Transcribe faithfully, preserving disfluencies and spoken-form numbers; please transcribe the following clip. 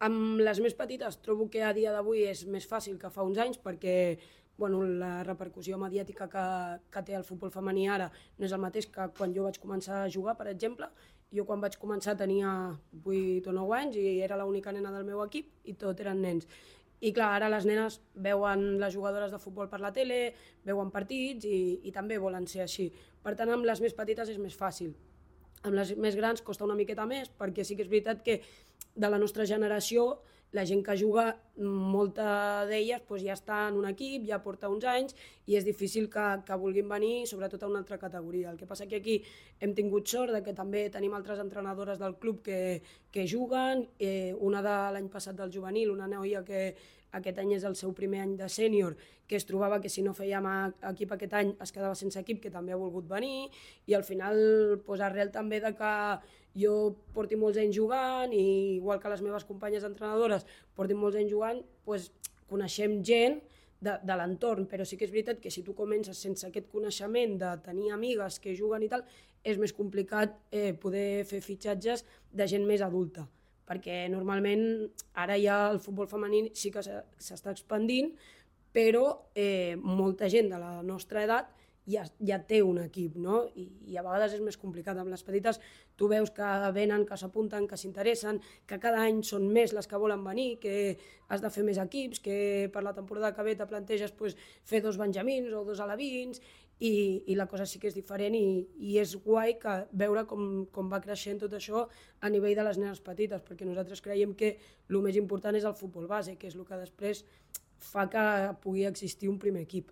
Amb les més petites trobo que a dia d'avui és més fàcil que fa uns anys perquè bueno, la repercussió mediàtica que, que té el futbol femení ara no és el mateix que quan jo vaig començar a jugar, per exemple. Jo quan vaig començar tenia vuit o nou anys i era l'única nena del meu equip i tot eren nens. I clar, ara les nenes veuen les jugadores de futbol per la tele, veuen partits i, i també volen ser així. Per tant, amb les més petites és més fàcil. Amb les més grans costa una miqueta més perquè sí que és veritat que de la nostra generació la gent que juga, molta d'elles doncs ja està en un equip, ja porta uns anys i és difícil que, que vulguin venir, sobretot a una altra categoria. El que passa que aquí hem tingut sort de que també tenim altres entrenadores del club que, que juguen, eh, una de l'any passat del juvenil, una noia que aquest any és el seu primer any de sènior, que es trobava que si no fèiem equip aquest any es quedava sense equip, que també ha volgut venir, i al final pues, arrel també de que jo porti molts anys jugant i igual que les meves companyes entrenadores portin molts anys jugant, pues, coneixem gent de, de l'entorn, però sí que és veritat que si tu comences sense aquest coneixement de tenir amigues que juguen i tal, és més complicat eh, poder fer fitxatges de gent més adulta, perquè normalment ara ja el futbol femení sí que s'està expandint, però eh, molta gent de la nostra edat ja, ja té un equip, no? I, i a vegades és més complicat. Amb les petites tu veus que venen, que s'apunten, que s'interessen, que cada any són més les que volen venir, que has de fer més equips, que per la temporada que ve te planteges pues, fer dos benjamins o dos alevins, i, i la cosa sí que és diferent i, i és guai que veure com, com va creixent tot això a nivell de les nenes petites, perquè nosaltres creiem que el més important és el futbol base, que és el que després fa que pugui existir un primer equip.